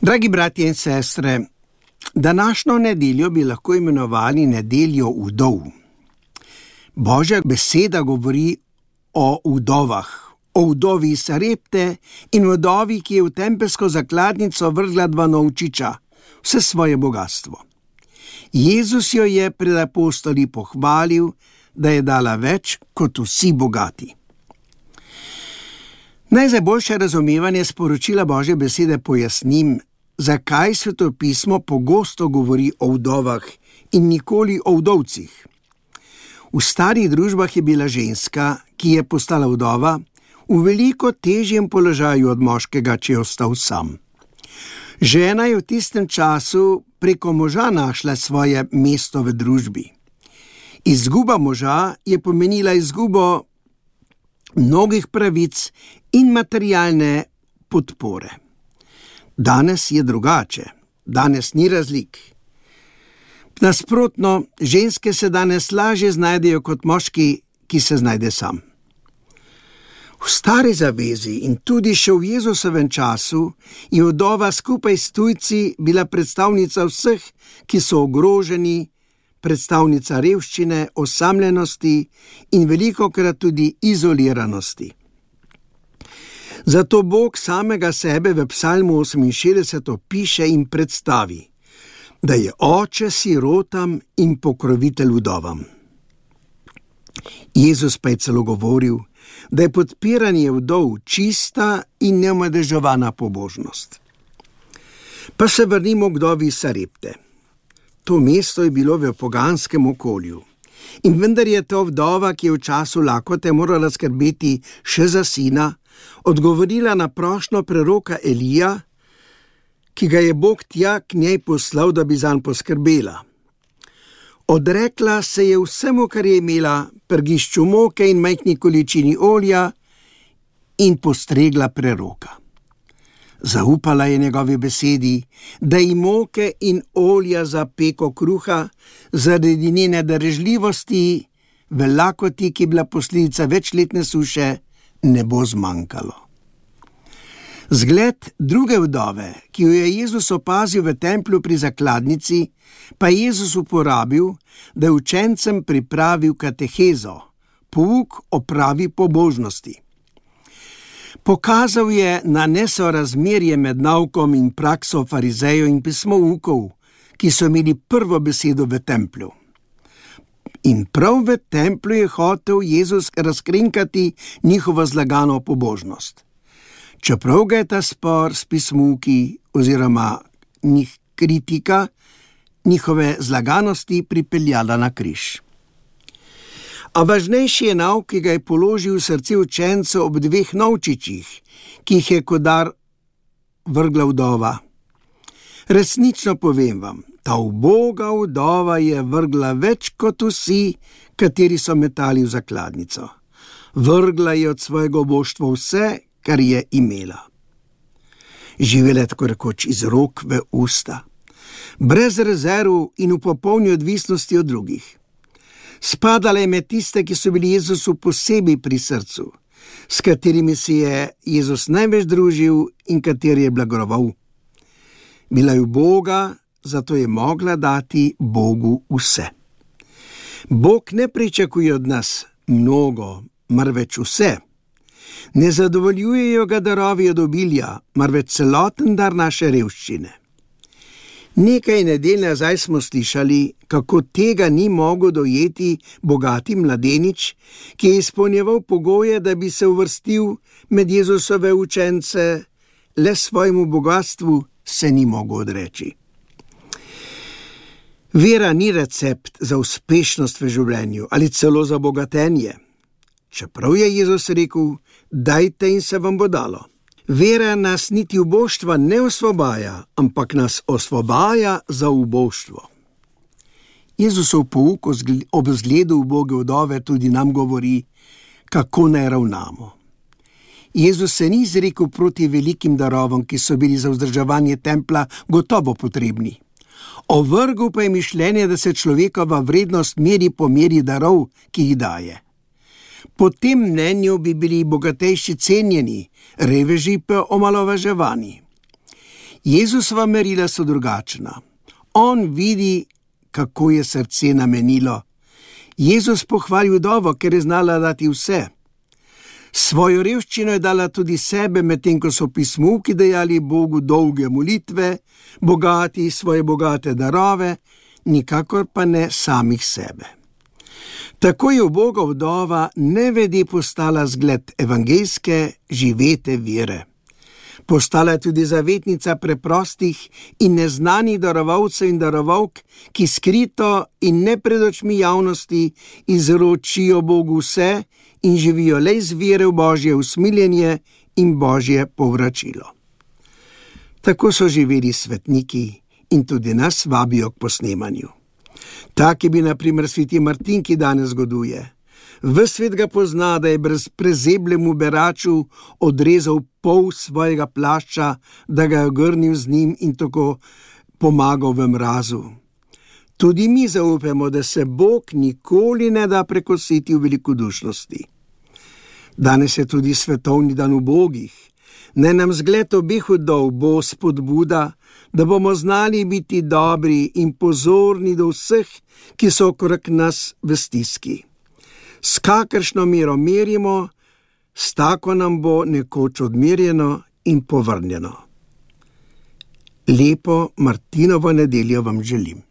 Dragi bratje in sestre, današnjo nedeljo bi lahko imenovali nedeljo vdov. Božja beseda govori o vdovah, o vdovi Sarepte in vdovi, ki je v tempelsko zakladnico vrgla 2 novčiča, vse svoje bogastvo. Jezus jo je pred apostoli pohvalil, da je dala več kot vsi bogati. Naj za boljše razumevanje sporočila Božje besede pojasnim, zakaj Svetopismo pogosto govori o vdovah in nikoli o vdovcih. V starih družbah je bila ženska, ki je postala vdova, v veliko težjem položaju od moškega, če je ostal sam. Žena je v tistem času preko moža našla svoje mesto v družbi. Izguba moža je pomenila izgubo mnogih pravic in materialne podpore. Danes je drugače, danes ni razlik. Nasprotno, ženske se danes lažje znajdejo kot moški, ki se znajde sam. V stari zavezi in tudi še v Jezusovem času je vdova skupaj s tujci bila predstavnica vseh, ki so ogroženi, predstavnica revščine, osamljenosti in velikokrat tudi izoliranosti. Zato Bog samega sebe v Psalmu 68 opiše in predstavi, da je oče sirotam in pokrovitelj vdovam. Jezus pa je celo govoril, da je podpiranje vdov čista in neomadeževana pobožnost. Pa se vrnimo k vdovi Sarepte. To mesto je bilo v poganskem okolju. In vendar je to vdova, ki je v času lakote morala skrbeti še za sina, odgovorila na prošnjo preroka Elija, ki ga je Bog tja k njej poslal, da bi zanj poskrbela. Odrekla se je vsemu, kar je imela, prgišču moke in majhni količini olja, in postregla preroka. Zaupala je njegovi besedi, da ji moke in olja za peko kruha zaradi njene darežljivosti v lakoti, ki je bila posledica večletne suše, ne bo zmanjkalo. Zgled druge vdove, ki jo je Jezus opazil v templju pri zakladnici, pa je Jezus uporabil, da je učencem pripravil katehezo, pouk o pravi pobožnosti. Pokazal je na nesorazmerje med naukom in prakso farizejev in pismoukov, ki so imeli prvo besedo v templju. In prav v templju je hotel Jezus razkrinkati njihovo zlagano pobožnost. Čeprav ga je ta spor s pismuki oziroma kritika njihove zlaganosti pripeljala na križ. A važnejši je nauk, ki ga je položil v srce učencev ob 2 novčičih, ki jih je kot dar vrgla vdova. Resnično povem vam, ta uboga vdova je vrgla več kot vsi, kateri so metali v zakladnico. Vrgla je od svojega oboštva vse, kar je imela. Živela je tako rekoč iz rok v usta, brez rezerv in v popolni odvisnosti od drugih. Spadala je med tiste, ki so bili Jezusu posebej pri srcu, s katerimi se je Jezus največ družil in kateri je blagoval. Bila je uboga, zato je mogla dati Bogu vse. Bog ne pričakuje od nas mnogo, marveč vse. Ne zadovoljujejo ga darovi od obilja, marveč celoten dar naše revščine. Nekaj nedelj nazaj smo slišali, kako tega ni mogel dojeti bogati mladenič, ki je izpolnjeval pogoje, da bi se uvrstil med Jezusove učence, le svojemu bogatstvu se ni mogel odreči. Vera ni recept za uspešnost v življenju ali celo za bogatenje. Čeprav je Jezus rekel, dajte in se vam bo dalo. Vera nas niti uboštva ne osvobaja, ampak nas osvobaja za uboštvo. Jezusov pouk ob zgledu uboge vdove tudi nam govori, kako naj ravnamo. Jezus se ni izrekel proti velikim darovom, ki so bili za vzdrževanje templja gotovo potrebni. Ovrgel pa je mišljenje, da se človekova vrednost meri po meri darov, ki jih daje. Po tem mnenju bi bili bogatejši cenjeni, reveži pa omalovaževani. Jezusova merila so drugačna. On vidi, kako je srce namenilo. Jezus pohvali vdovo, ker je znala dati vse. Svojo revščino je dala tudi sebe, medtem ko so pismovki dajali Bogu dolge molitve, bogati svoje bogate darove, nikakor pa ne samih sebe. Tako je uboga vdova nevede postala zgled evangeljske živete vere. Postala je tudi zavetnica preprostih in neznanih darovalcev in darovalk, ki skrito in ne pred očmi javnosti izročijo Bogu vse in živijo le iz vere v Božje usmiljenje in Božje povračilo. Tako so živeli svetniki in tudi nas vabijo k posnemanju. Tak je bil na primer sveti Martin, ki danes zgoduje. Ves svet ga pozna, da je brez prezebljemu beraču odrezal pol svojega plašča, da ga je ogrnil z njim in tako pomagal v mrazu. Tudi mi zaupamo, da se Bog nikoli ne da prekositi v velikodušnosti. Danes je tudi svetovni dan ubogih. Naj nam zgled obeh vdov bo spodbuda, da bomo znali biti dobri in pozorni do vseh, ki so okrog nas v stiski. S kakršno mero merimo, s tako nam bo nekoč odmerjeno in povrnjeno. Lepo Martinovo nedeljo vam želim.